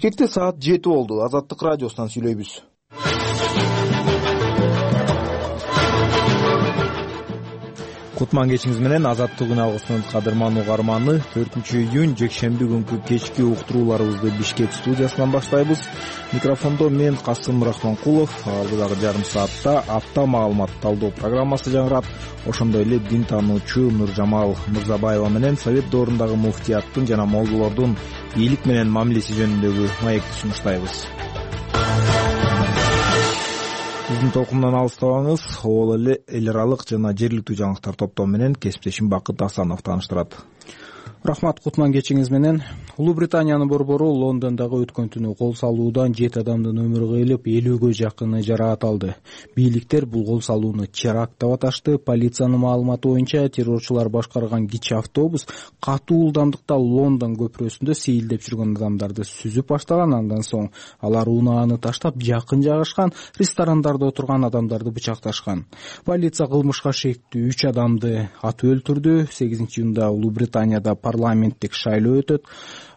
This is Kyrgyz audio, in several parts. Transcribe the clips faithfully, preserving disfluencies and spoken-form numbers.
Бишкекте саат жети болду. Азаттык радиосунан сүйлөйбүз. Кутман кечиңиз менен Азаттык күн алгысынын кадырман угарманы төртүнчү июнь жекшемби күнкү кечки уктурууларыбызды Бишкек студиясынан баштайбыз. Микрофондо мен Касым Рахманкулов. Алдыдагы жарым саатта апта маалымат талдоо программасы жаңырат. Ошондой эле дин таануучу Нуржамал Мырзабаева менен Совет доорундагы муфтияттын жана молдолордун бийлик менен мамилеси жөнүндөгү маекти сунуштайбыз. Биздин толкундан алыстабаңыз. Ол эле эл аралык жана жергиликтүү жаңылыктар топтому менен кесиптешим Бакыт Асанов тааныштырат. Рахмат, Кутман кечиңиз менен. Улуу Британиянын борбору Лондондогу өткөн түнү кол салуудан жети адамдын өмүрү кыйылып, элүүгө жакыны жараат алды. Бийликтер бул кол салууну теракт деп аташты. Полициянын маалыматы боюнча террорчулар башкарган кичи автобус катуу ылдамдыкта Лондон көпүрөсүндө сейилдеп жүргөн адамдарды сүзүп баштаган. Андан соң алар унааны таштап жакын жайгашкан ресторандарда отурган адамдарды бычакташкан. Полиция кылмышка шектүү үч адамды атып өлтүрдү. сегизинчи июнда Улуу Британияда парламенттик шайлоо өтөт.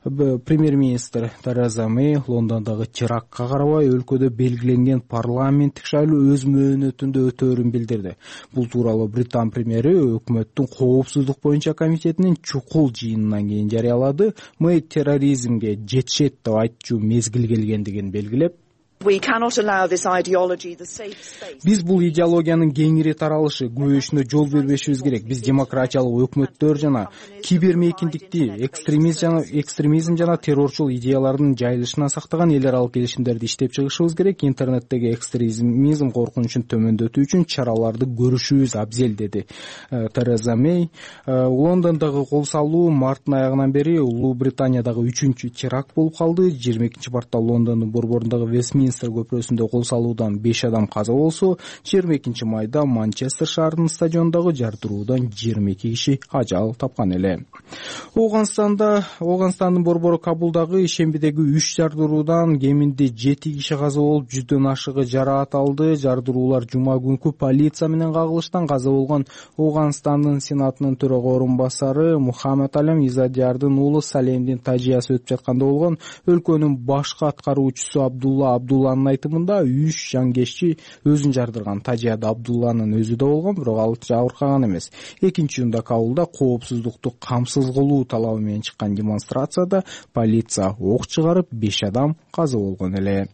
Премьер-министр Тереза Мэй Лондондогу терактка карабай өлкөдө белгиленген парламенттик шайлоо өз мөөнөтүндө өтөөрүн билдирди. Бул тууралуу Британ премьери өкмөттүн коопсуздук боюнча комитетинин чукул жыйынынан кийин жарыялады. Мэй терроризмге жетишет деп айтчу мезгил келгендигин белгилеп, биз бул идеологиянын кеңири таралышы күбөшүнө жол бербешибиз керек. Биз демократиялык өкмөттөр жана кибермейкиндикти, экстремизм жана экстремизм жана террорчул идеялардын жайылышынан сактаган эл аралык келишимдерди иштеп чыгышыбыз керек. Интернеттеги экстремизм коркунучун төмөндөтүү үчүн чараларды көрүшүбүз абзел, деди Тереза Мэй. Лондондогу кол салуу марттын аягынан бери Улуу Британиядагы үчүнчү теракт болуп калды. жыйырма экинчи мартта Лондондун борборундагы Вестминстер көпүрөсүндө кол салуудан беш адам каза болсо, жыйырма экинчи майда Манчестер шаарынын стадиондогу жардыруудан жыйырма эки киши ажал тапкан эле. Ооганстанда Ооганстандын борбору Кабулдагы ишембидеги үч жардыруудан кеминде жети киши каза болуп, жүздөн ашыгы жараат алды. Жардыруулар жума күнкү полиция менен кагылыштан каза болгон Ооганстандын сенатынын төрага орун басары Мухаммед Алем Изадиярдын уулу Салемдин тажыясы өтүп жатканда болгон. Өлкөнүн башкы аткаруучусу Абдулла Абдулланын айтымында үч жангешчи өзүн жардырган. Тажияда Абдулланын өзү да болгон, бирок ал жабыркаган эмес. экинчи июнда Кабулда коопсуздукту камсыз кылуу талабы менен чыккан демонстрацияда полиция ок чыгарып, беш адам каза болгон эле.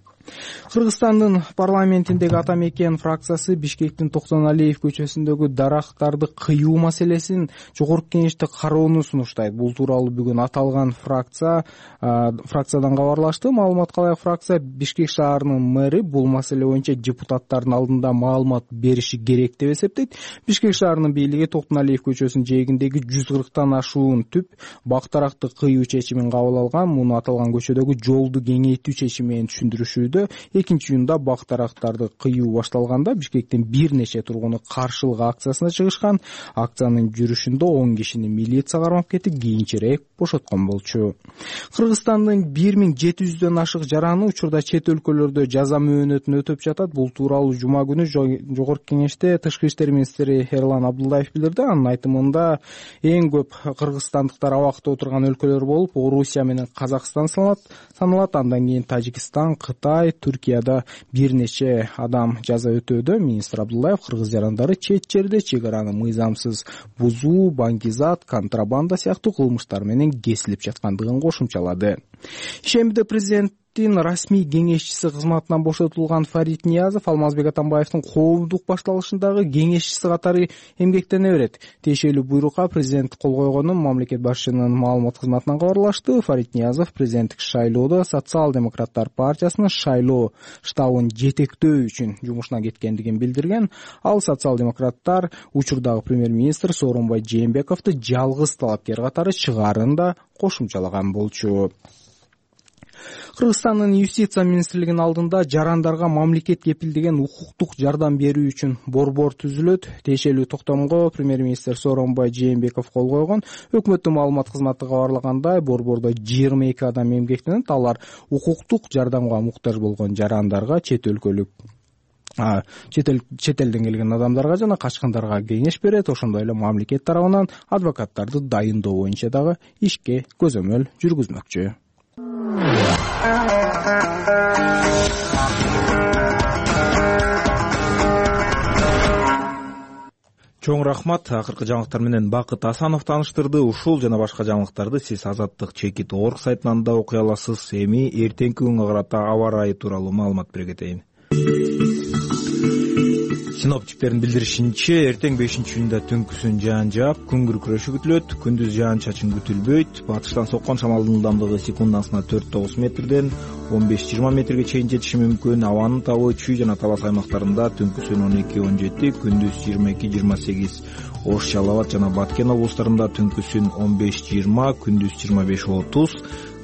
Кыргызстандын парламентиндеги ата мекен фракциясы Бишкектин Токтоналиев көчөсүндөгү дарактарды кыюу маселесин жогорку кеңеште кароону сунуштайт. Бул тууралуу бүгүн аталган фракция фракциядан кабарлашты. Маалыматка ылайык, фракция Бишкек шаарынын мэри бул маселе боюнча депутаттардын алдында маалымат бериши керек деп эсептейт. Бишкек шаарынын бийлиги Токтоналиев көчөсүнүн жээгиндеги жүз кырктан ашуун түп бак-даракты кыюу чечимин кабыл алган. Муну аталган көчөдөгү жолду кеңейтүү чечими менен түшүндүрүшүүдө. экинчи июнда бак-дарактарды кыюу башталганда Бишкектин бир нече тургуну каршылык акциясына чыгышкан. Акциянын жүрүшүндө он кишини милиция кармап кетип, кийинчерээк бошоткон болчу. Кыргызстандын бир миң жети жүздөн ашык жараны учурда чет өлкөлөрдө жаза мөөнөтүн өтөп жатат. Бул тууралуу жума күнү жогорку кеңеште Тышкы иштер министри Эрлан Абдулдаев билдирди. Анын айтымында эң көп кыргызстандыктар абакта отурган өлкөлөр болуп, Орусия менен Казакстан саналат. Андан кийин Тажикстан, Кытай, Түркияда бир нече адам жаза өтөөдө. Министр Абдулдаев кыргыз жарандары чет жерде чек араны мыйзамсыз бузуу, баңгизат, контрабанда сыяктуу кылмыштар менен кесилип жаткандыгын кошумчалады. Ишембиде президент расмий кеңешчиси кызматынан бошотулган Фарид Ниязов Алмазбек Атамбаевдин коомдук башталышындагы кеңешчиси катары эмгектене берет. Тиешелүү буйрукка президент кол койгонун мамлекет башчынын маалымат кызматынан кабарлашты. Фарид Ниязов президенттик шайлоодо Социал-демократтар партиясынын шайлоо штабын жетектөө үчүн жумушуна кеткендигин билдирген. Ал социал-демократтар учурдагы премьер-министр Сооронбай Жээнбековду жалгыз талапкер катары чыгаарын да кошумчалаган болчу. Кыргызстандын юстиция министрлигинин алдында жарандарга мамлекет кепилдеген укуктук жардам берүү үчүн борбор түзүлөт. Тиешелүү токтомго премьер-министр Сооронбай Жээнбеков кол койгон. Өкмөттүн маалымат кызматы кабарлагандай, борбордо жыйырма эки адам эмгектенет. Алар укуктук жардамга муктаж болгон жарандарга, чет өлкөлүк чет элден келген адамдарга жана качкындарга кеңеш берет. Ошондой эле мамлекет тарабынан адвокаттарды дайындоо боюнча дагы ишке көзөмөл жүргүзмөкчү. Чоң рахмат. Акыркы жаңылыктар менен Бакыт Асанов тааныштырды. Ушул жана башка жаңылыктарды сиз Азаттык чекит орг сайтынан да окуй аласыз. Эми эртеңки күнгө карата аба ырайы тууралуу маалымат бере кетейин. Синоптиктердин билдиришинче, эртең бешинчи июнда түнкүсүн жаан жаап, күн күркүрөшү күтүлөт. Күндүз жаан чачын күтүлбөйт. Батыштан соккон шамалдын ылдамдыгы секундасына төрт тогуз метрден он беш жыйырма метрге чейин жетиши мүмкүн. Абанын табы чүй жана талас аймактарында түнкүсүн он эки он жети, күндүз жыйырма эки жыйырма сегиз. Ош, Жалал абад жана Баткен облустарында түнкүсүн он беш жыйырма, күндүз жыйырма беш отуз.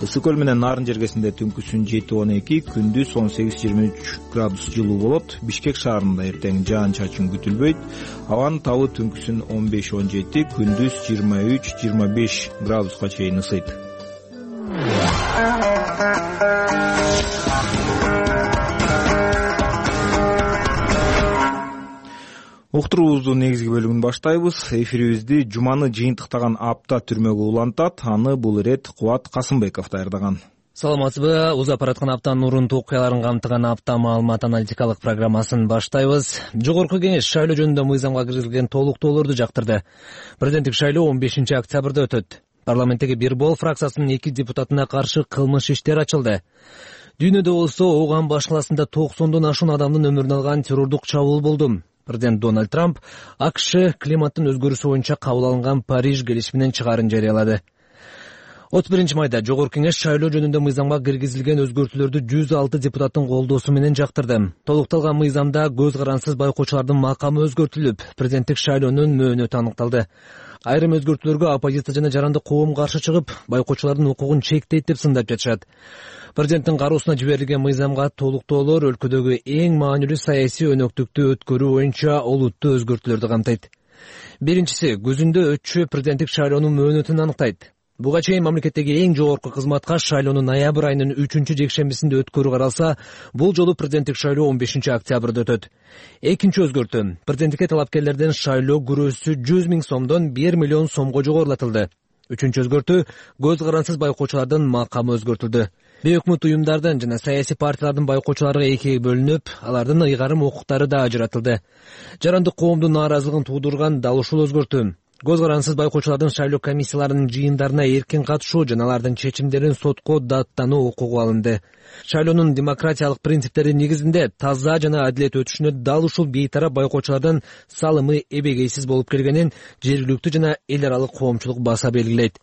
Ысык көл менен Нарын жергесинде түнкүсүн жети он эки, күндүз он сегиз жыйырма үч градус жылуу болот. Бишкек шаарында эртең жаан чачын күтүлбөйт. Абанын табы түнкүсүн он беш он жети, күндүз жыйырма үч жыйырма беш градуска чейин ысыйт. Уктуруубуздун негизги бөлүгүн баштайбыз. Эфирибизди жуманы жыйынтыктаган апта түрмөгө улантат. Аны бул ирет Кубат Касымбеков даярдаган. Саламатсызбы? Узап бараткан аптанын урунтуу окуяларын камтыган апта маалымат аналитикалык программасын баштайбыз. Жогорку кеңеш шайлоо жөнүндө мыйзамга киргизилген толуктоолорду жактырды. Президенттик шайлоо он бешинчи октябрда өтөт. Парламенттеги бир бол фракциясынын эки депутатына каршы кылмыш иштер ачылды. Дүйнөдө болсо Ооган баш каласында токсондон ашуун адамдын өмүрүн алган террордук чабуул болду. Президент Дональд Трамп АКШ климаттын өзгөрүүсү боюнча кабыл алынган Париж келишиминин чыгарын жарыялады. отуз биринчи майда Жогорку кеңеш шайлоо жөнүндө мыйзамга киргизилген өзгөртүүлөрдү жүз алты депутаттын колдоосу менен жактырды. Толукталган мыйзамда көз карансыз байкоочулардын макамы өзгөртүлүп, президенттик шайлоонун мөөнөтү аныкталды. Айрым өзгөртүүлөргө оппозиция жана жарандык коом каршы чыгып, байкоочулардын укугун чектейт деп сындап жатышат. Президенттин кароосуна жиберилген мыйзамга толуктоолор өлкөдөгү эң маанилүү саясий өнөктүктү өткөрүү боюнча олуттуу өзгөртүүлөрдү камтыйт. Биринчиси, көзүндө өтчү президенттик шайлоонун мөөнөтүн аныктайт. Буга чейин мамлекеттеги эң жогорку кызматка шайлоону ноябрь айынын үчүнчү жекшембисинде өткөрүү каралса, бул жолу президенттик шайлоо он бешинчи октябрда өтөт. Экинчи өзгөртүү, президенттикке талапкерлерден шайлоо күрөөсү жүз миң сомдон бир миллион сомго жогорулатылды. Үчүнчү өзгөртүү, көз карансыз байкоочулардын макамы өзгөртүлдү. Бейөкмөт уюмдардын жана саясий партиялардын байкоочуларга экиге бөлүнүп, алардын ыйгарым укуктары да ажыратылды. Жарандык коомдун нааразылыгын туудурган дал ушул өзгөртүү. Көз карансыз байкоочулардын шайлоо комиссияларынын жыйындарына эркин катышуу жана алардын чечимдерин сотко даттануу укугу алынды. Шайлоонун демократиялык принциптери негизинде таза жана адилет өтүшүнө дал ушул бейтарап байкоочулардын салымы эбегейсиз болуп келгенин жергиликтүү жана эл аралык коомчулук баса белгилейт.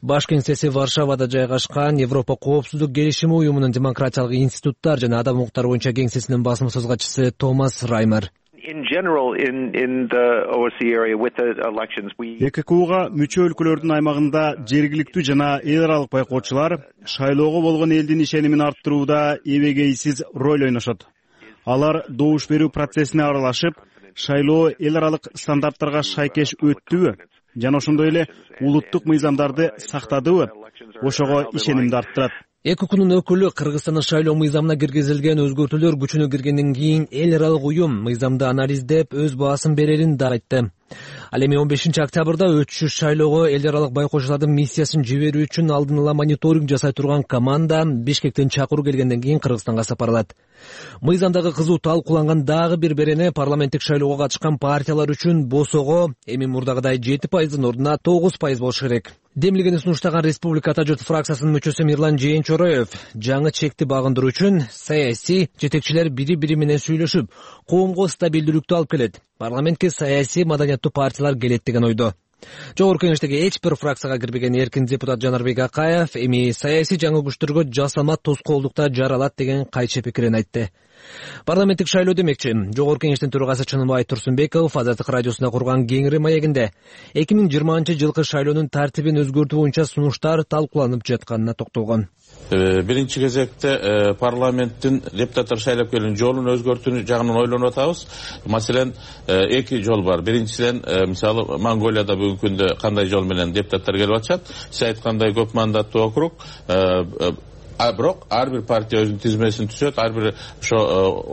Баш кеңсеси Варшавада жайгашкан Европа коопсуздук келишими уюмунун демократиялык институттар жана адам укуктары боюнча кеңсесинин басма сөз катчысы Томас Раймер. Е К К Уга мүчө өлкөлөрдүн аймагында жергиликтүү жана эл аралык байкоочулар шайлоого болгон элдин ишенимин арттырууда эбегейсиз роль ойношот. Алар добуш берүү процессине аралашып, шайлоо эл аралык стандарттарга шайкеш өттүбү жана ошондой эле улуттук мыйзамдарды сактадыбы, ошого ишенимди арттырат. Е К Кнун өкүлү Кыргызстандын шайлоо мыйзамына киргизилген өзгөртүүлөр күчүнө киргенден кийин эл аралык уюм мыйзамды анализдеп өз баасын берерин да айтты. Ал эми он бешинчи октябрда өтүшү шайлоого эл аралык байкоочулардын миссиясын жиберүү үчүн алдын ала мониторинг жасай турган команда Бишкектен чакыруу келгенден кийин Кыргызстанга сапарлат. Мыйзамдагы кызуу талкууланган дагы бир берене парламенттик шайлоого катышкан партиялар үчүн босого эми мурдагыдай жети пайыздын ордуна тогуз пайыз болушу керек. Демилгени сунуштаган Республика Ата журт фракциясынын мүчөсү Мирлан Жээнчороев жаңы чекти багындыруу үчүн саясий жетекчилер бири-бири менен сүйлөшүп, коомго стабилдүүлүктү алып келет. Парламентке саясий маданияттуу партиялар келет деген ойдо. Жогорку кеңештеги эч бир фракцияга кирбеген эркин депутат Жанарбек Акаев эми саясий жаңы күчтөргө жасама тоскоолдукта жаралат деген кайчы пикирин айтты. Парламенттик шайлоо демекчи, Жогорку кеңештин төрагасы Чыныбай Турсунбеков Азаттык радиосунда курган кеңири маегинде эки миң жыйырманчы жылкы шайлоонун тартибин өзгөртүү боюнча сунуштар талкууланып жатканына токтолгон. Биринчи кезекте парламенттин депутаттар шайлап келген жолун өзгөртүү жагынан ойлонуп атабыз. Маселен, эки жол бар. Биринчиден, мисалы, Монголияда бүгүнкү күндө кандай жол менен депутаттар келип атышат? Сиз айткандай көп мандаттуу округ, а бирок ар бир партия өзүнүн тизмесин түзөт, ар бир ошо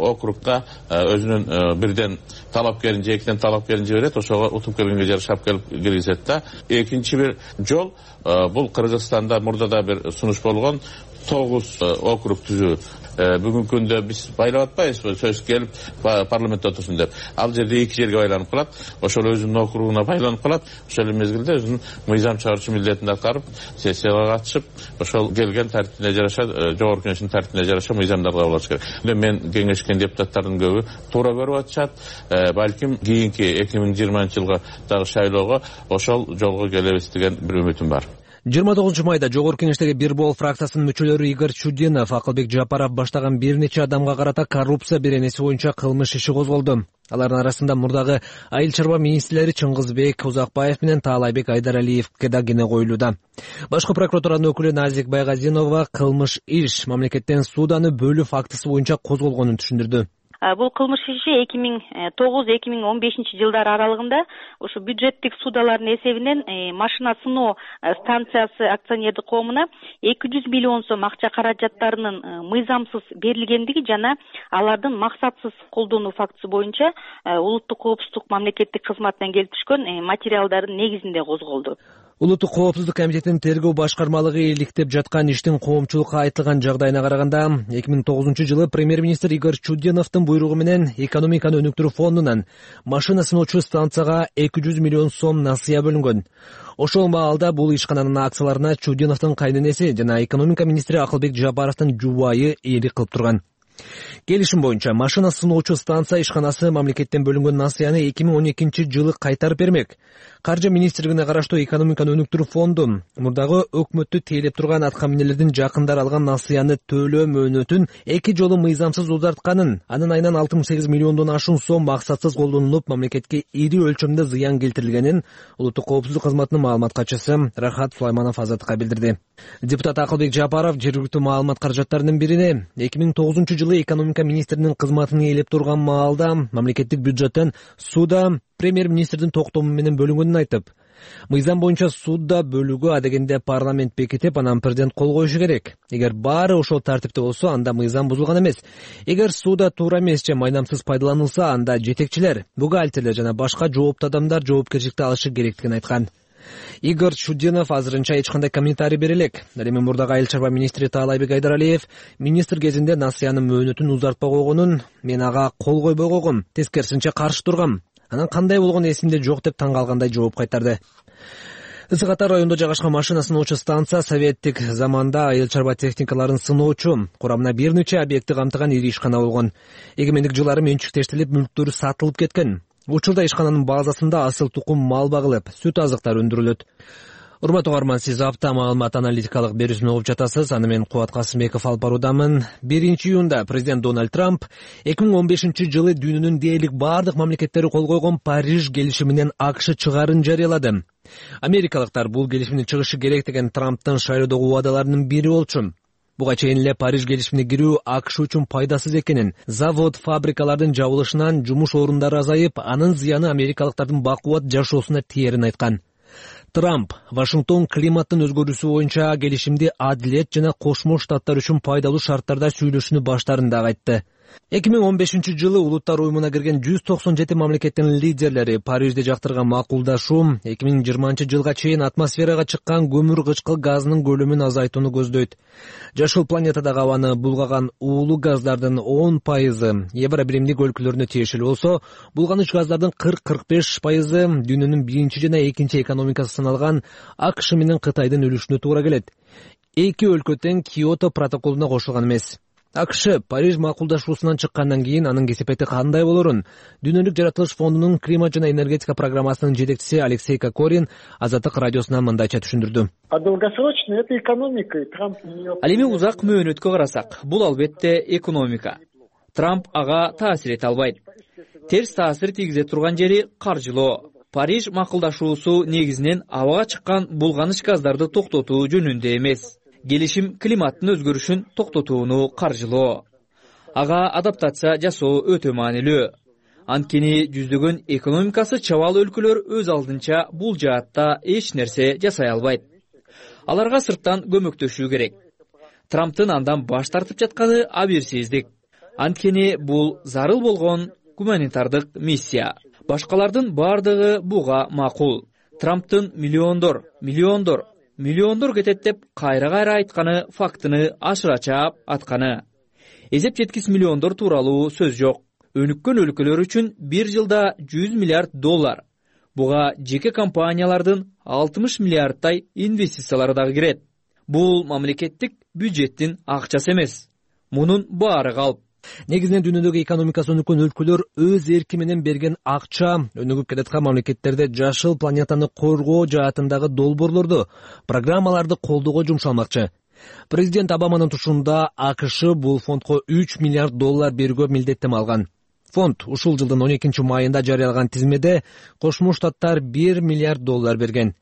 округга өзүнүн бирден талапкерин же экиден талапкерин жиберет, ошого утуп келгенге жарашап келип киргизет да. Экинчи бир жол, бул Кыргызстанда мурда да бир сунуш болгон, тогуз округ түзүү. Бүгүнкү күндө биз байлап атпайбызбы, сөз келип парламентте отурсун деп. Ал жерде эки жерге байланып калат. Ошол өзүнүн округуна байланып калат. Ошол эле мезгилде өзүнүн мыйзам чыгаруучу милдетин аткарып, сессияга катышып, ошол келген тартибине жараша, жогорку кеңештин тартибине жараша мыйзамдарды кабыл алыш керек. Мен кеңешкен депутаттардын көбү туура көрүп атышат. Балким кийинки эки миң жыйырманчы жылга дагы шайлоого ошол жолго келебиз деген бир үмүтүм бар. жыйырма тогузунчу майда жогорку кеңештеги бир бол фракциясынын мүчөлөрү Игорь Чудинов, Акылбек Жапаров баштаган бир нече адамга карата коррупция беренеси боюнча кылмыш иши козголду. Алардын арасында мурдагы айыл чарба министрлери Чыңгызбек Узакбаев менен Таалайбек Айдаралиевке да кене коюлууда. Башкы прокуратуранын өкүлү Назик Байгазинова кылмыш иш мамлекеттен сууданы бөлүү фактысы боюнча козголгонун түшүндүрдү. Бул кылмыш иши эки миң тогуз эки миң он бешинчи жылдар аралыгында ушу бюджеттик суудалардын эсебинен машина сыноо станциясы акционердик коомуна эки жүз миллион сом акча каражаттарынын мыйзамсыз берилгендиги жана алардын максатсыз колдонуу фактысы боюнча улуттук коопсуздук мамлекеттик кызматынан келип түшкөн материалдардын негизинде козголду. Улуттук коопсуздук комитетинин тергөө башкармалыгы иликтеп жаткан иштин коомчулукка айтылган жагдайына караганда, эки миң тогузунчу жылы премьер-министр Игорь Чудиновдун буйругу менен экономиканы өнүктүрүү фондунан машина сыноочу станцияга эки жүз миллион сом насыя бөлүнгөн. Ошол маалда бул ишкананын акцияларына Чудиновдун кайненеси жана экономика министри Акылбек Жапаровдун жубайы ээлик кылып турган. Келишим боюнча машина сыноочу станция ишканасы мамлекеттен бөлүнгөн насыяны эки миң он экинчи жылы кайтарып бермек. Каржы министрлигине караштуу экономиканы өнүктүрүү фонду мурдагы өкмөттү тейлеп турган аткаминерлердин жакындары алган насыяны төлөө мөөнөтүн эки жолу мыйзамсыз узартканын, анын айынан алты миң сегиз миллиондон ашуун сом максатсыз колдонулуп, мамлекетке ири өлчөмдө зыян келтирилгенин улуттук коопсуздук кызматынын маалымат катчысы Рахат Сулайманов Азаттыкка билдирди. Депутат Акылбек Жапаров жергиликтүү маалымат каражаттарынын бирине эки миң тогузунчу жылы экономика министринин кызматын ээлеп турган маалда мамлекеттик бюджеттен сууда премьер-министрдин токтому менен бөлүнгөнүн айтып, мыйзам боюнча сууда бөлүүгө адегенде парламент бекитип, анан президент кол коюшу керек. Эгер баары ошол тартипте болсо, анда мыйзам бузулган эмес. Эгер сууда туура эмес же майнамсыз пайдаланылса, анда жетекчилер, бухгалтерлер жана башка жооптуу адамдар жоопкерчиликти алышы керектигин айткан. Игорь Чудинов азырынча эч кандай комментарий бере элек. Ал эми мурдагы айыл чарба министри Таалайбек Айдаралиев министр кезинде насыянын мөөнөтүн узартпай койгонун, мен ага кол койбой койгом, тескерисинче каршы тургам. Анан кандай болгону эсимде жок деп таң калгандай жооп кайтарды. Ысык Ата районунда жайгашкан машина сыноочу станция советтик заманда айыл чарба техникаларын сыноочу, курамына бир нече объекти камтыган ири ишкана болгон. Эгемендик жылдары менчиктештирилип, мүлктөрү сатылып кеткен. Учурда ишкананын базасында асыл тукум мал багылып, сүт азыктар өндүрүлөт. Урматтуу угарман, сиз апта маалымат аналитикалык берүүсүн угуп жатасыз. Аны мен Кубат Касымбеков алып баруудамын. биринчи июнда президент Дональд Трамп эки миң он бешинчи жылы дүйнөнүн дээрлик бардык мамлекеттери кол койгон Париж келишиминен АКШ чыгаарын жарыялады. Америкалыктар бул келишимдин чыгышы керек деген Трамптын шайлоодогу убадаларынын бири болчу. Буга чейин эле Париж келишимине кирүү АКШ үчүн пайдасыз экенин, завод, фабрикалардын жабылышынан жумуш орундары азайып, анын зыяны америкалыктардын бакубат жашоосуна тиерин айткан. Трамп Вашингтон климаттын өзгөрүүсү боюнча келишимди адилет жана Кошмо Штаттар үчүн пайдалуу шарттарда сүйлөшүүнү баштарын дагы айтты. эки миң он бешинчи жылы Улуттар уюмуна кирген жүз токсон жети мамлекеттин лидерлери Парижде жактырган макулдашуу эки миң жыйырманчы жылга чейин атмосферага чыккан көмүр кычкыл газынын көлөмүн азайтууну көздөйт. Жашыл планетадагы абаны булгаган уулуу газдардын он пайызы Евро биримдик өлкөлөрүнө тиешелүү болсо, булганыч газдардын кырк кырк беш пайызы дүйнөнүн биринчи жана экинчи экономикасы саналган АКШ менен Кытайдын үлүшүнө туура келет. Эки өлкө тең Киото протоколуна кошулган эмес. АКШ Париж макулдашуусунан чыккандан кийин анын кесепети кандай болорун Дүйнөлүк жаратылыш фондунун климат жана энергетика программасынын жетекчиси Алексей Кокорин Азаттык радиосуна мындайча түшүндүрдү. Ал эми узак мөөнөткө карасак, бул албетте экономика. Трамп ага таасир эте албайт. Терс таасир тийгизе турган жери каржылоо. Париж макулдашуусу негизинен абага чыккан булганыч газдарды токтотуу жөнүндө эмес. Келишим климаттын өзгөрүшүн токтотууну каржылоо. Ага адаптация жасоо өтө маанилүү. Анткени жүздөгөн экономикасы чабал өлкөлөр өз алдынча бул жаатта эч нерсе жасай албайт. Аларга сырттан көмөктөшүү керек. Трамптын андан баш тартып жатканы абийирсиздик. Анткени бул зарыл болгон гуманитардык миссия. Башкалардын бардыгы буга макул. Трамптын миллиондор, миллиондор миллиондор кетет деп кайра кайра айтканы фактыны ашыра чаап атканы. Эзеп жеткис миллиондор тууралуу сөз жок. Өнүккөн өлкөлөр үчүн бир жылда жүз миллиард доллар. Буга жеке компаниялардын алтымыш миллиардтай инвестициялары дагы кирет. Бул мамлекеттик бюджеттин акчасы эмес. Мунун баары калп. Негизинен дүйнөдөгү экономикасы өнүккөн өлкөлөр өз эрки менен берген акча өнүгүп келаткан мамлекеттерде жашыл планетаны коргоо жаатындагы долбоорлорду, программаларды колдоого жумшалмакчы. Президент Обаманын тушунда АКШ бул фондко үч миллиард доллар берүүгө милдеттеме алган. Фонд ушул жылдын он экинчи майында жарыялаган тизмеде Кошмо Штаттар бир миллиард доллар берген.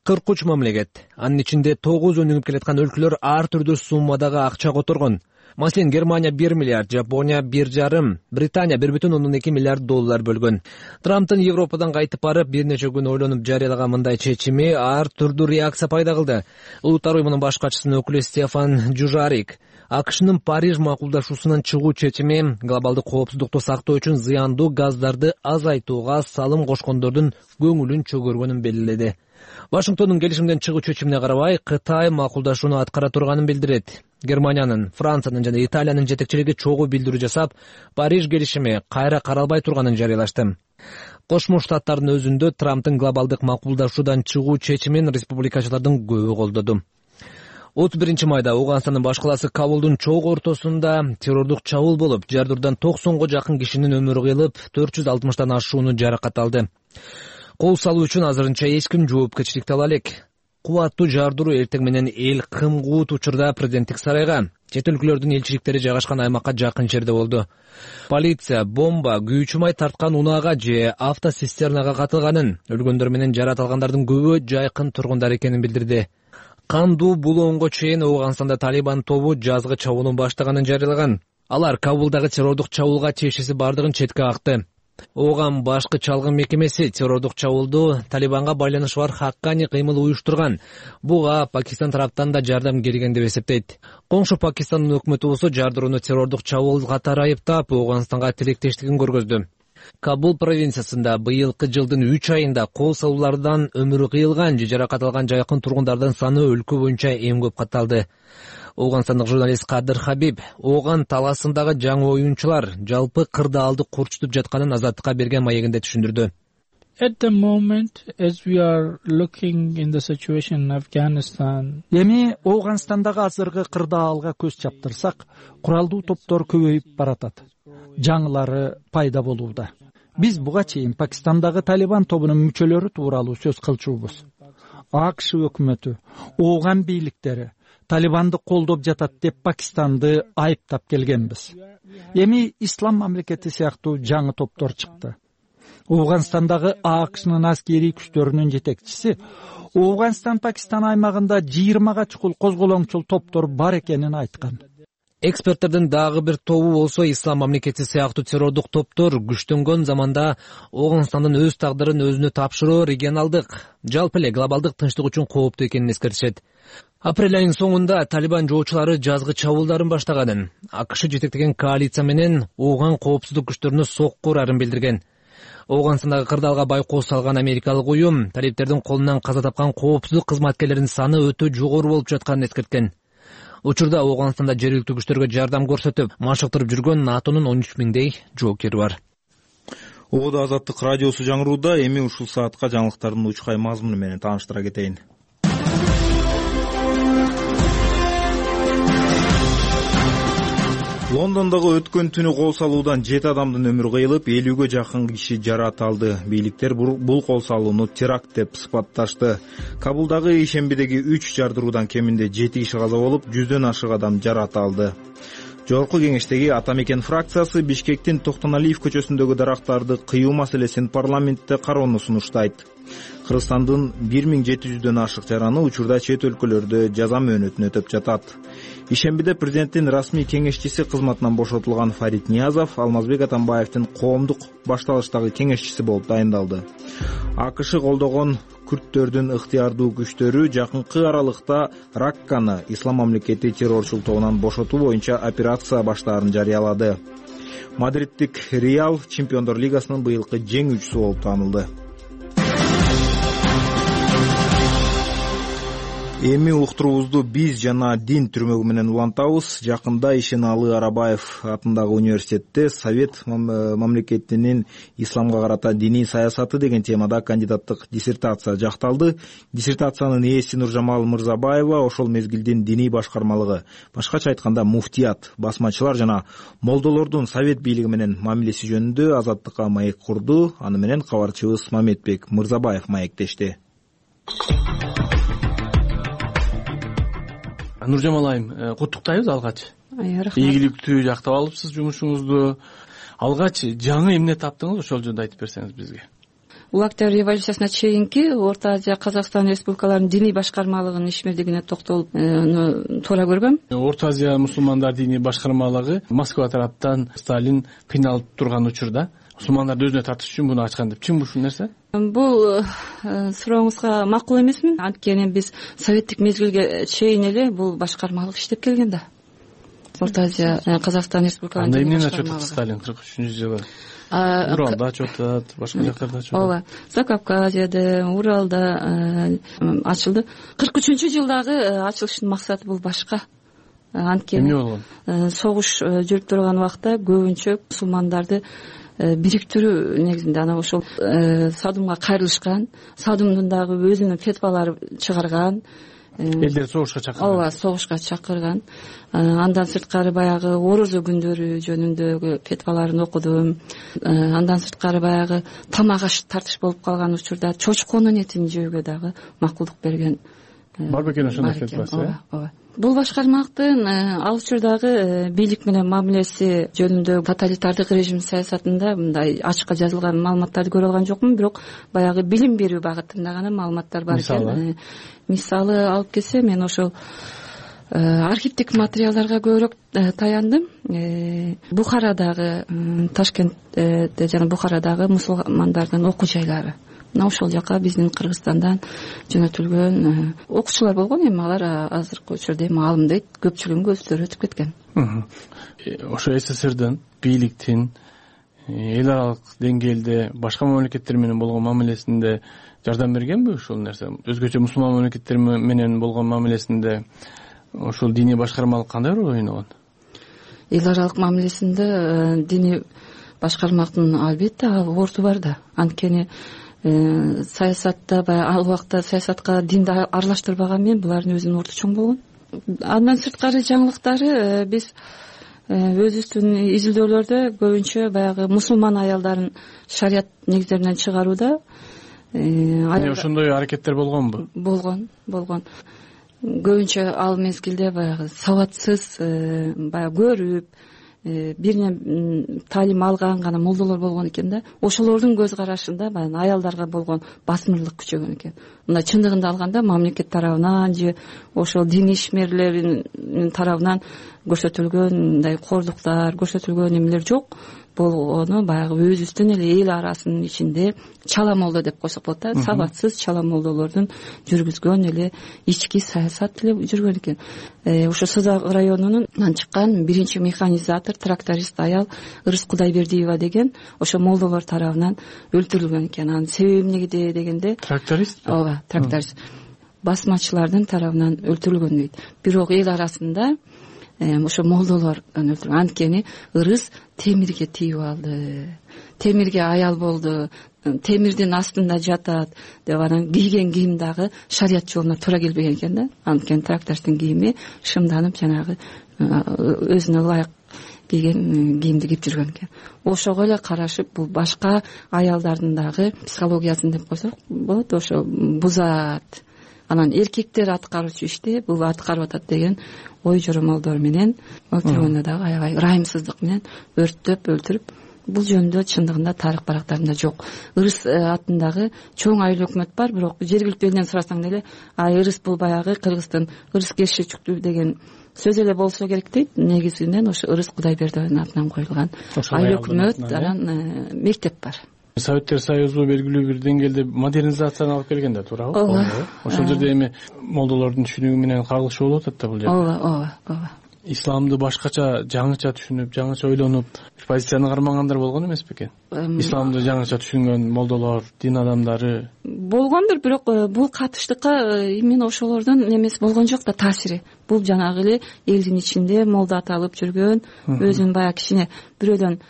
кырк үч мамлекет, анын ичинде тогуз өнүгүп келаткан өлкөлөр ар түрдүү суммадагы акча которгон. Маселен, Германия бир миллиард, Жапония бир жарым, Британия бир бүтүн ондон эки миллиард доллар бөлгөн. Трамптын Европадан кайтып барып, бир нече күн ойлонуп жарыялаган мындай чечими ар түрдүү реакция пайда кылды. Улуттар уюмунун баш катчысынын өкүлү Стефан Дюжарик АКШнын Париж макулдашуусунан чыгуу чечими глобалдык коопсуздукту сактоо үчүн зыяндуу газдарды азайтууга салым кошкондордун көңүлүн чөгөргөнүн белгиледи. Вашингтондун келишимден чыгуу чечимине карабай, Кытай макулдашууну аткара турганын билдирет. Германиянын, Франциянын жана Италиянын жетекчилиги чогуу билдирүү жасап, Париж келишими кайра каралбай турганын жарыялашты. Кошмо Штаттардын өзүндө Трамптын глобалдык макулдашуудан чыгуу чечимин республикачылардын көбү колдоду. отуз биринчи майда Ооганстандын баш калаасы Кабулдун чок ортосунда террордук чабуул болуп, жардырдан токсонго жакын кишинин өмүрү кыйылып, төрт жүз алтымыштан ашууну жаракат алды. Кол салуу үчүн азырынча эч ким жоопкерчиликти ала элек. Кубаттуу жардыруу эртең менен эл кымгуут учурда президенттик сарайга, чет өлкөлөрдүн элчиликтери жайгашкан аймакка жакын жерде болду. Полиция бомба, күйүүчү май тарткан унаага же автоцистернага катылганын, өлгөндөр менен жаратылгандардын көбү жайкын тургундар экенин билдирди. Кандуу булоонго чейин Ооганстанда Талибан тобу жазгы чабуулун баштаганын жарыялаган. Алар Кабулдагы террордук чабуулга тиешеси бардыгын четке акты. Ооган башкы чалгын мекемеси террордук чабуулду Талибанга байланышы бар хаккани кыймыл уюштурган. Буга Пакистан тараптан да жардам келген деп эсептейт. Коңшу Пакистандын өкмөтү болсо жардырууну террордук чабуул катары айыптап, Ооганстанга тилектештигин көргөздү. Кабул провинциясында быйылкы жылдын үч айында кол салуулардан өмүрү кыйылган же жаракат алган жайкын тургундардын саны өлкө боюнча эң көп катталды. Ооганстандык журналист Кадыр Хабиб Ооган талаасындагы жаңы оюнчулар жалпы кырдаалды курчутуп жатканын Азаттыкка берген маегинде түшүндүрдү. At the moment, as we are looking in the situation in Afghanistan, эми Ооганстандагы азыркы кырдаалга көз чаптырсак, куралдуу топтор көбөйүп баратат. Жаңылары пайда болууда. Биз буга чейин Пакистандагы Талибан тобунун мүчөлөрү тууралуу сөз кылчубуз. АКШ өкмөтү, Ооган бийликтери Талибанды колдоп жатат деп Пакистанды айыптап келгенбиз. Эми Ислам мамлекети сыяктуу жаңы топтор чыкты. Ооганстандагы АКШнын аскерий күчтөрүнүн жетекчиси Ооганстан-Пакистан аймагында жыйырмага чукул козголоңчул топтор бар экенин айткан. Эксперттердин дагы бир тобу болсо Ислам мамлекети сыяктуу террордук топтор күчтөнгөн заманда Ооганстандын өз тагдырын өзүнө тапшыруу регионалдык, жалпы эле глобалдык тынчтык үчүн кооптуу экенин эскертишет. Апрель айынын соңунда Талибан жоочулары жазгы чабуулдарын баштаганын, АКШ жетектеген коалиция менен Ооган коопсуздук күчтөрүнө сокку урарын билдирген. Ооганстандагы кырдаалга байкоо салган америкалык уюм талиптердин колунан каза тапкан коопсуздук кызматкерлеринин саны өтө жогору болуп жатканын эскерткен. Учурда Ооганстанда жергиликтүү күчтөргө жардам көрсөтүп, машыктырып жүргөн НАТОнун он үч миңдей жоокери бар. Ободо Азаттык радиосу жаңырууда, эми ушул саатка жаңылыктардын учкай мазмуну менен тааныштыра кетейин. Лондондогу өткөн түнү кол салуудан жети адамдын өмүрү кыйылып, элүүгө жакын киши жаракат алды. Бийликтер бул кол салууну теракт деп сыпатташты. Кабулдагы ишембидеги үч жардыруудан кеминде жети киши каза болуп, жүздөн ашык адам жаракат алды. Жогорку кеңештеги Ата Мекен фракциясы Бишкектин Токтоналиев көчөсүндөгү дарактарды кыюу маселесин парламентте кароону сунуштайт. Кыргызстандын бир миң жети жүздөн ашык жараны учурда чет өлкөлөрдө жаза мөөнөтүн өтөп жатат. Ишембиде президенттин расмий кеңешчиси кызматынан бошотулган Фарид Ниязов Алмазбек Атамбаевдин коомдук башталыштагы кеңешчиси болуп дайындалды. АКШ колдогон күрттөрдүн ыктыярдуу күчтөрү жакынкы аралыкта Ракканы Ислам мамлекети террорчул тобунан бошотуу боюнча операция баштаарын жарыялады. Мадридтик Реал Чемпиондор лигасынын быйылкы жеңүүчүсү болуп таанылды. Эми уктуруубузду биз жана дин түрмөгү менен улантабыз. Жакында Ишеналы Арабаев атындагы университетте Совет мамлекетинин исламга карата диний саясаты деген темада кандидаттык диссертация жакталды. Диссертациянын ээси Нуржамал Мырзабаева ошол мезгилдин диний башкармалыгы, башкача айтканда муфтият, басмачылар жана молдолордун Совет бийлиги менен мамилеси жөнүндө Азаттыкка маек курду. Аны менен кабарчыбыз Мамедбек Мырзабаев маектешти. Нуржамал айым, куттуктайбыз алгач. Рахмат. Ийгиликтүү жактап алыпсыз жумушуңузду. Алгач жаңы эмне таптыңыз, ошол жөнүндө айтып берсеңиз бизге. Улуу Октябрь революциясына чейинки Орто Азия, Казакстан республикаларынын диний башкармалыгынын ишмердигине токтолуп туура көргөм. Орто Азия мусулмандар диний башкармалыгы Москва тараптан Сталин кыйналып турган учурда мусулмандарды өзүнө тартыш үчүн муну ачкан деп. Чын ушул нерсе? Бул сурооңузга макул эмесмин. Анткени биз советтик мезгилге чейин эле бул башкармалык иштеп келген да. Орто Азия, Казакстан республикаларынын диний башкармалыгы. Анда эмне ачып Сталин кырк үчүнчү жылы? Уралда ачып, башка жактарда ачып. Ооба. Закавказьеде, Уралда ачылды. кырк үчүнчү жылдагы ачылыштын максаты бул башка. Анткени эмне болгон? Согуш жүрүп турган убакта көбүнчө мусулмандарды бириктирүү негизинде анан ошол Садумга кайрылышкан, Садумдун дагы өзүнүн фетвалары чыгарган. Элдер согушка чакырган. Ооба, согушка чакырган. Андан сырткары баягы орозо күндөрү жөнүндөгү фетваларын окудум. Андан сырткары баягы тамак аш тартыш болуп калган учурда чочконун этин жөөгө дагы макулдук берген. Бар бекен ошондой фетвасы, э? Ооба. Бул башкармалыктын ал учурдагы бийлик менен мамилеси жөнүндө тоталитардык режим саясатында мындай ачыкка жазылган маалыматтарды көрө алган жокмун, бирок баягы билим берүү багытында гана маалыматтар бар экен. Мисалы алып келсе, мен ошол архивдик материалдарга көбүрөөк таяндым. Бухарадагы, Ташкентте жана Бухарадагы мусулмандардын окуу жайлары. Мына ошол жака биздин Кыргызстандан жөнөтүлгөн окуучулар болгон, эми алар азыркы учурда эми алым дейт, көпчүлүгүн көздөр өтүп кеткен. Ошо СССРдин бийликтин эл аралык деңгээлде башка мамлекеттер менен болгон мамилесинде жардам бергенби ушул нерсе? Өзгөчө мусулман мамлекеттер менен болгон мамилесинде ошол диний башкармалык кандай роль ойногон? Эл аралык мамилесинде диний башкармалыктын албетте орту бар да. Анткени саясатта баягы ал убакта саясатка динди аралаштырбаган мен булардын өзүнүн орту чоң болгон. Андан сырткары жаңылыктары биз өзүбүздүн изилдөөлөрдө көбүнчө баягы мусулман аялдарын шарият негиздеринен чыгарууда ошондой аракеттер болгонбу? Болгон, болгон. Көбүнчө ал мезгилде баягы сабатсыз, баягы көрүп биринен таалим алган гана молдолор болгон экен да. Ошолордун көз карашында баягы аялдарга болгон басмырлык күчөгөн экен. Мына чындыгында алганда мамлекет тарабынан же ошол дин ишмерлеринин тарабынан көрсөтүлгөн мындай кордуктар, көрсөтүлгөн эмелер жок. Болгону баягы өзүбүздүн эле эл арасынын ичинде чала молдо деп койсок болот да, сабатсыз чала молдолордун жүргүзгөн эле ички саясат эле жүргөн экен. Ошо Созак районунан чыккан биринчи механизатор, тракторист аял Ырыс Кудайбердиева деген ошо молдолор тарабынан өлтүрүлгөн экен. Анын себеби эмнеде дегенде тракторист? Ооба, тракторист. Басмачылардын тарабынан өлтүрүлгөн дейт. Бирок эл арасында ошо молдолор өлтүрүлгөн. Анткени Ырыс темирге тийип алды. Темирге аял болду. Темирдин астында жатат деп анан кийген кийим дагы шарият жолуна туура келбеген экен да. Анткени трактористтин кийими шымданып жанагы өзүнө ылайык кийген кийимди кийип жүргөн экен. Ошого эле карашып бул башка аялдардын дагы психологиясын деп койсок болот, ошо бузат. Анан эркектер аткаруучу ишти бул аткарып атат деген ой жоромолдор менен өлтүргөндө дагы аябай ырайымсыздык менен өрттөп өлтүрүп, бул жөнүндө чындыгында тарых барактарында жок. Ырыс атындагы чоң айыл өкмөт бар, бирок жергиликтүү элден сурасаң деле ай Ырыс бул баягы Кыргыздын Ырыс Кершичүктүү деген сөз эле болсо керек дейт. Негизинен ошо Ырыс Кудайбердиеванын атынан коюлган айыл өкмөт, анан мектеп бар. Советтер Союзу белгилүү бир деңгээлде модернизацияны алып келген да, туурабы? Ооба. Ошол жерде эми молдолордун түшүнүгү менен кагылышы болуп атат да бул жерде. Ооба, ооба, ооба. исламды башкача жаңыча түшүнүп, жаңыча ойлонуп позицияны кармагандар болгон эмес бекен? Исламды жаңыча түшүнгөн молдолор, дин адамдары болгондур, бирок бул катыштыкка именно ошолордун эмеси болгон жок да, таасири. Бул жанагы эле элдин ичинде молдо аталып жүргөн, өзүн баягы кичине бирөөдөн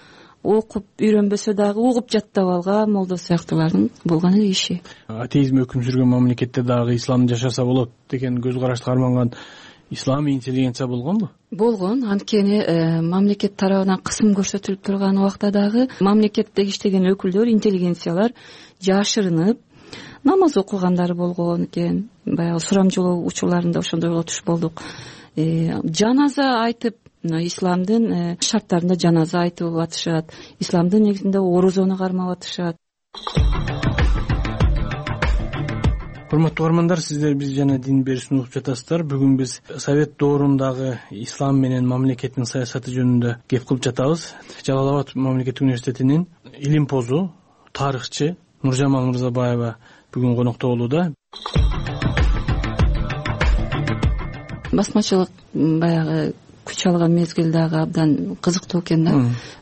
окуп үйрөнбөсө дагы угуп жаттап алган молдо сыяктуулардын болгон эле иши. Атеизм өкүм сүргөн мамлекетте дагы ислам жашаса болот деген көз карашты карманган исламий интеллигенция болгонбу? Болгон. Анткени мамлекет тарабынан кысым көрсөтүлүп турган убакта дагы мамлекетте иштеген өкүлдөр, интеллигенциялар жашырынып намаз окугандар болгон экен. Баягы сурамжылоо учурларында ошондойго туш болдук. Жаназа айтып, исламдын шарттарында жаназа айтып атышат, исламдын негизинде орозону кармап атышат. Урматтуу угармандар, сиздер биз жана дин берүүсүн угуп жатасыздар. Бүгүн биз совет доорундагы ислам менен мамлекеттин саясаты жөнүндө кеп кылып жатабыз. Жалал Абад мамлекеттик университетинин илим позу, тарыхчы Нуржамал Мырзабаева бүгүн конокто болууда. Басмачылык баягы күч алган мезгил дагы абдан кызыктуу экен да.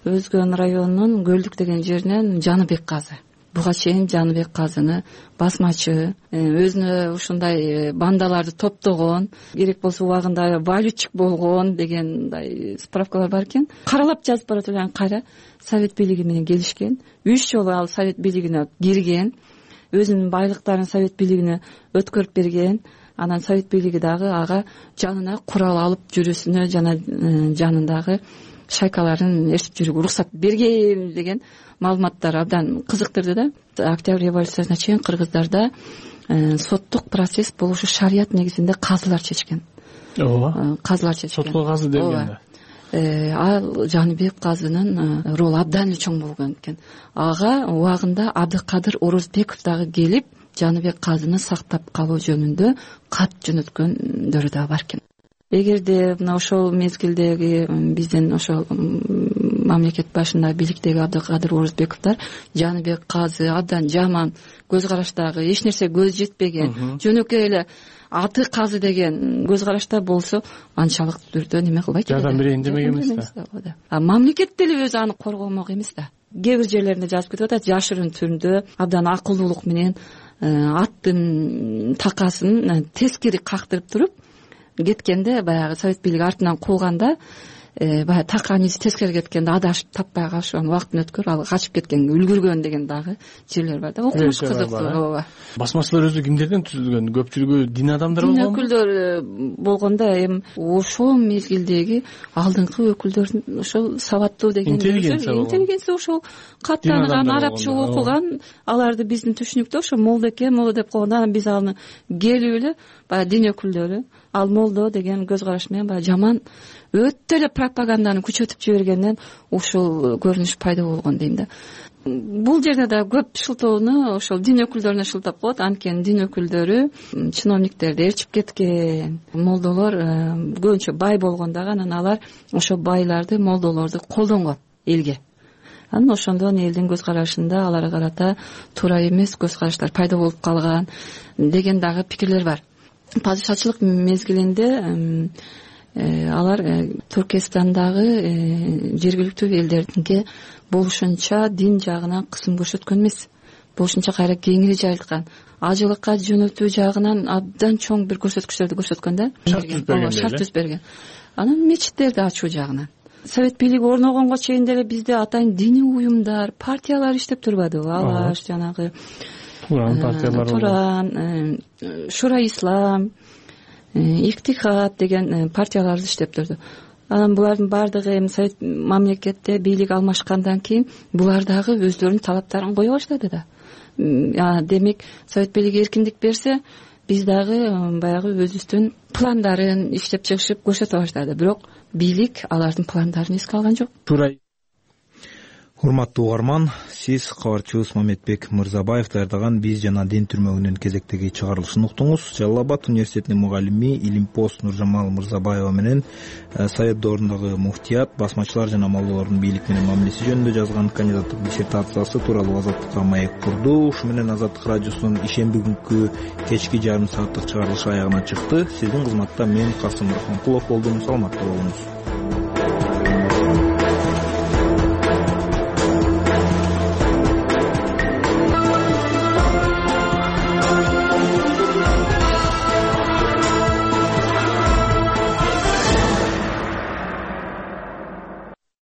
Өзгөн районунун Көлдүк деген жеринен Жаныбек казы. Буга чейин Жаныбек казыны басмачы, өзүнө ушундай бандаларды топтогон, керек болсо убагында валютчик болгон дегендай справкалар бар экен. Каралап жазып барат эле, кайра совет бийлиги менен келишкен. Үч жолу ал совет бийлигине кирген, өзүнүн байлыктарын совет бийлигине өткөрүп берген. Анан совет бийлиги дагы ага жанына курал алып жүрүүсүнө жана жанындагы шайкаларын ээрчип жүрүүгө уруксат берген деген маалыматтар абдан кызыктырды да. Октябрь революциясына чейин кыргыздарда соттук процесс болушу шарият негизинде казылар чечкен. Ооба. Казылар чечкен. Сотко казы дегенде. Ал Жаныбек казынын ролу абдан эле чоң болгон экен. Ага убагында Абдыкадыр Орозбеков дагы келип Жаныбек казыны сактап калуу жөнүндө кат жөнөткөндөрү да бар экен. Эгерде мына ошол мезгилдеги биздин ошол мамлекет башында бийликтеги Абдыкадыр Орозбековдор Жаныбек казы абдан жаман көз караштагы, эч нерсе көз жетпеген, жөнөкөй эле аты казы деген көз карашта болсо, анчалык түрдө неме кылбайт. Жардам берейин демеген эмес да. А мамлекет деле өзү аны коргомок эмес да. Кээ бир жерлеринде жазып кетип атат, жашырын түрдө абдан акылдуулук менен аттын такасын тескери кактырып туруп кеткенде, баягы совет бийлиги артынан кууганда, баягы таканиз тескери кеткенде адашып таппай калышып, убакытын өткөрүп ал качып кеткен, үлгүргөн деген дагы жерлер бар да. Окумуш кызыктуу. Ооба. Басмачылар өзү кимдерден түзүлгөн? Көпчүлүгү дин адамдары болгонбу? Дин өкүлдөр болгондо эми ошол мезгилдеги алдыңкы өкүлдөрдүн ошол сабаттуу деген интеллигенция ошол каттанган, арабча окуган, аларды биздин түшүнүктө ошо молдо экен, молдо деп койгондо анан биз аны келип эле баягы дин өкүлдөрү ал молдо деген көз караш менен баягы жаман өтө эле пропаганданы күчөтүп жибергенден ушул көрүнүш пайда болгон дейм да. Бул жерде да көп шылтоону ошол дин өкүлдөрүнө шылтап коет. Анткени дин өкүлдөрү чиновниктерди ээрчип кеткен. Молдолор көбүнчө бай болгон дагы, анан алар ошо байларды, молдолорду колдонгон элге. Анан ошондон элдин көз карашында аларга карата туура эмес көз караштар пайда болуп калган деген дагы пикирлер бар. Падышачылык мезгилинде алар Түркистандагы жергиликтүү элдердинке болушунча дин жагынан кысым көрсөткөн эмес, болушунча кайра кеңири жайылткан, ажылыкка жөнөтүү жагынан абдан чоң бир көрсөткүчтөрдү көрсөткөн да. Шарт түзүп берген. Анан мечиттерди ачуу жагынан совет бийлиги орногонго чейин деле бизде атайын диний уюмдар, партиялар иштеп турбадыбы? Алаш, жанагы Туран партиялары, Туран, Шура Ислам, Иктихад деген партияларды иштеп турду. Анан булардын баардыгы эми совет мамлекетте бийлик алмашкандан кийин булар дагы өздөрүнүн талаптарын кое баштады да. Демек, совет бийлиги эркиндик берсе, биз дагы баягы өзүбүздүн пландарын иштеп чыгышып көрсөтө баштады. Бирок бийлик алардын пландарын эске алган жок. Туура. урматтуу угарман, сиз кабарчыбыз Мамедбек Мырзабаев даярдаган «Биз жана дин» түрмөгүнүн кезектеги чыгарылышын уктуңуз. Жалал Абад университетинин мугалими, Илимпост Нуржамал Мырзабаева менен Совет доорундагы муфтият, басмачылар жана малдуулардын бийлик менен мамилеси жөнүндө жазган кандидаттык диссертациясы тууралуу Азаттыкка маек курду. Ушу менен Азаттык радиосунун ишемби күнкү кечки жарым сааттык чыгарылышы аягына чыкты. Сиздин кызматта мен Касым Рахманкулов болдум. Саламатта болуңуз.